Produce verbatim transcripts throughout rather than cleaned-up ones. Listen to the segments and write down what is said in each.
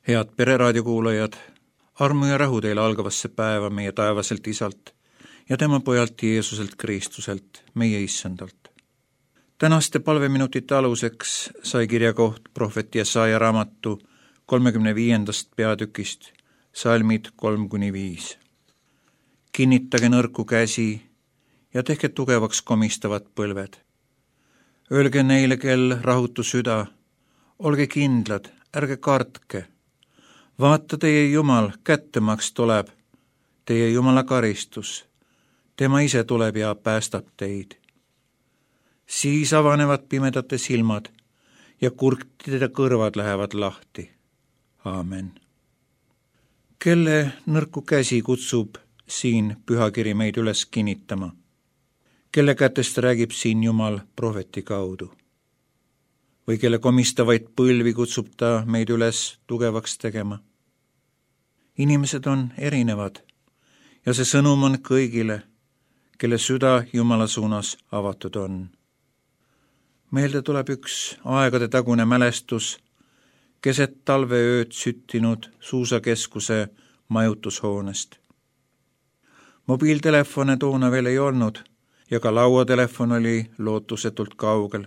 Head Pereraadio kuulajad, armu ja rahu teile algavasse päeva meie taevaselt Isalt ja tema pojalt Jeesuselt Kristuselt, meie Issandalt. Tänaste palveminutite aluseks sai kirjakoht prohvet Jesaja raamatu kolmekümne viiendast peatükist, salmid kolm kuni viis. Kinnitage nõrku käsi ja tehke tugevaks komistavad põlved. Öelge neile, kel rahutu süda, olge kindlad, ärge kartke. Vaata, teie Jumal kättemaks tuleb, teie Jumala karistus. Tema ise tuleb ja päästab teid. Siis avanevad pimedate silmad ja kurtide kõrvad lähevad lahti. Aamen. Kelle nõrku käsi kutsub siin pühakiri meid üles kinnitama? Kelle kätest räägib siin Jumal prohveti kaudu? Või kelle komistavaid põlvi kutsub ta meid üles tugevaks tegema? Inimesed on erinevad ja see sõnum on kõigile, kelle süda Jumala suunas avatud on. Meelde tuleb üks aegade tagune mälestus keset talveööd süttinud suusakeskuse majutushoonest. Mobiiltelefone toona veel ei olnud ja ka lauatelefon oli lootusetult kaugel.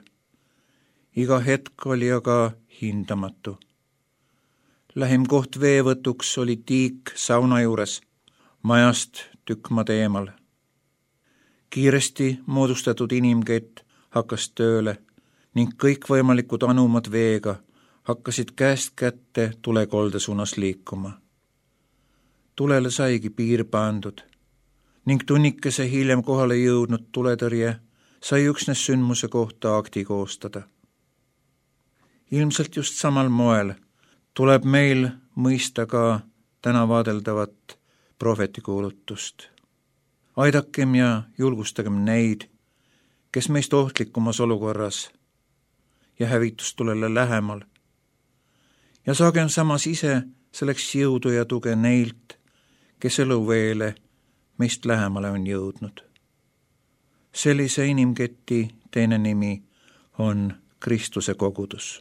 Iga hetk oli aga hindamatu. Lähim koht veevõtuks oli tiik sauna juures, majast tükk maad eemal. Kiiresti moodustatud inimkett hakkas tööle ning kõikvõimalikud anumad veega hakkasid käest kätte tulekolde suunas liikuma. Tulele saigi piir pandud ning tunnikese hiljem kohale jõudnud tuletõrje sai üksnes sündmuse kohta akti koostada. Ilmselt just samal moel tuleb meil mõista ka täna vaadeldavat prohvetikuulutust. Aidakem ja julgustagem neid, kes meist ohtlikumas olukorras ja hävitustulele lähemal. Ja saagem samas ise selleks jõudu ja tuge neilt, kes eluveele meist lähemale on jõudnud. Sellise inimketi teine nimi on Kristuse kogudus.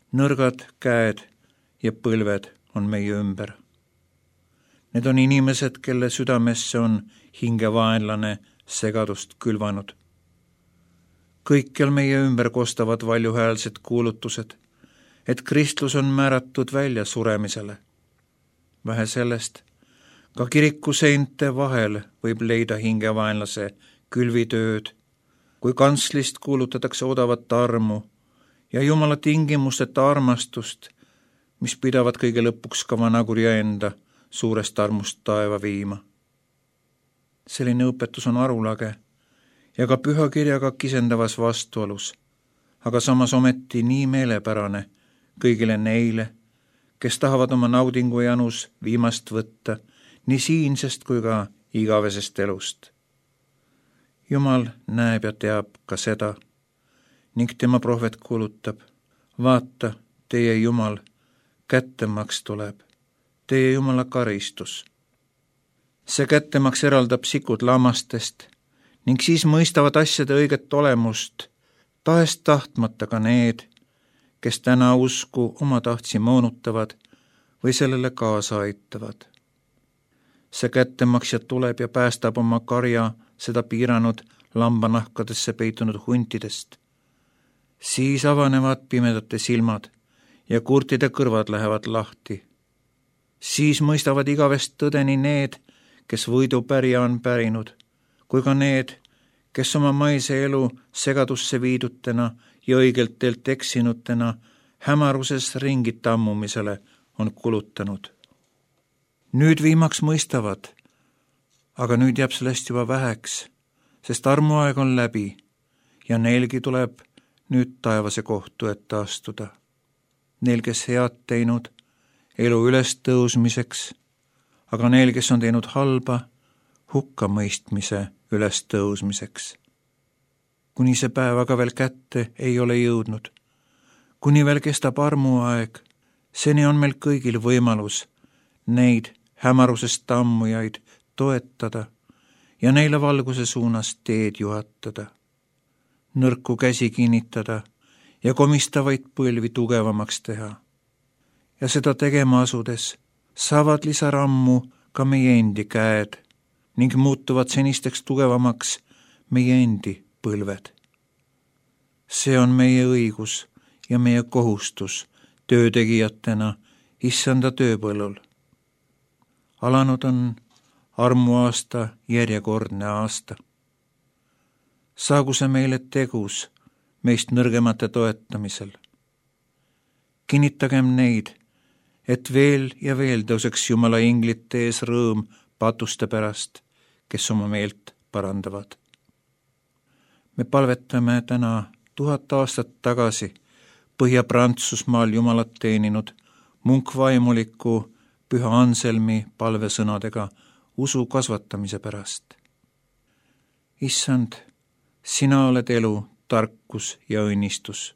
Nõrgad käed ja põlved on meie ümber. Need on inimesed, kelle südamesse on hingevaenlane segadust külvanud. Kõikjal meie ümber kostavad valjuhäälsed kuulutused, et kristlus on määratud välja suremisele. Vähe sellest, ka kiriku seinte vahel võib leida hingevaenlase külvitööd, kui kantslist kuulutatakse odavat armu ja Jumala tingimusteta armastust, mis pidavad kõige lõpuks ka vanakurja enda suurest armust taeva viima. Selline õpetus on arulage ja ka pühakirjaga kisendavas vastuolus, aga samas ometi nii meelepärane kõigile neile, kes tahavad oma naudingu janus viimast võtta nii siinsest kui ka igavesest elust. Jumal näeb ja teab ka seda ning tema prohvet kuulutab, vaata, teie Jumal kättemaks tuleb, teie Jumala karistus. See kättemaks eraldab sikud lammastest ning siis mõistavad asjade õiget olemust, taest tahtmata ka need, kes täna usku oma tahtsi moonutavad või sellele kaasa aitavad. See kättemaksja tuleb ja päästab oma karja seda piiranud lambanahkadesse peitunud huntidest. Siis avanevad pimedate silmad ja kurtide kõrvad lähevad lahti. Siis mõistavad igavest tõdeni need, kes võidu pärja on pärinud, kui ka need, kes oma maise elu segadusse viidutena ja õigelt teelt eksinutena hämaruses ringi tammumisele on kulutanud. Nüüd viimaks mõistavad, aga nüüd jääb sellest juba väheks, sest armuaeg on läbi ja neilgi tuleb nüüd taevase kohtu ette astuda. Neil, kes head teinud elu üles tõusmiseks, aga neil, kes on teinud halba hukkamõistmise üles tõusmiseks. Kuni see päev aga veel kätte ei ole jõudnud, kuni veel kestab armuaeg, seni on meil kõigil võimalus neid hämarusest tammujaid toetada ja neile valguse suunas teed juhatada. Nõrku käsi kinnitada ja komistavaid põlvi tugevamaks teha. ja seda tegema asudes saavad lisarammu ka meie endi käed ning muutuvad senisteks tugevamaks meie endi põlved. See on meie õigus ja meie kohustus töötegijatena issanda tööpõllul. Alanud on armuaasta järjekordne aasta. Saagu see meile tegus meist nõrgemate toetamisel. Kinnitagem neid, et veel ja veel tõuseks Jumala inglite ees rõõm patuste pärast, kes oma meelt parandavad. Me palvetame täna tuhat aastat tagasi Põhja-Prantsusmaal Jumalat teeninud munkvaimuliku Püha Anselmi palvesõnadega usu kasvatamise pärast. Issand, sina oled elu, tarkus ja õnnistus.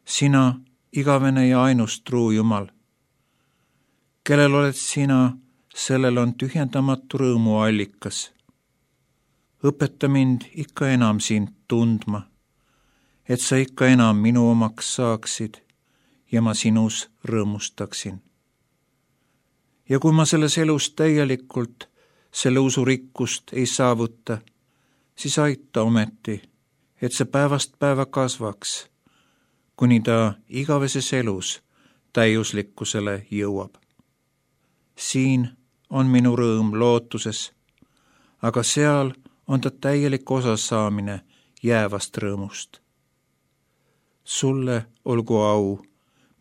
Sina, igavene ja ainus truu Jumal. Kellel oled sina, sellel on tühjendamatu rõõmu allikas. Õpeta mind ikka enam sind tundma, et sa ikka enam minu omaks saaksid ja ma sinus rõõmustaksin. Ja kui ma selles elus täielikult selle usu rikkust ei saavuta, siis aita ometi, et see päevast päeva kasvaks, kuni ta igaveses elus täiuslikkusele jõuab. Siin on minu rõõm lootuses, aga seal on ta täielik osasaamine jäävast rõõmust. Sulle olgu au,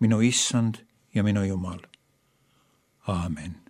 minu issand ja minu Jumal. Aamen.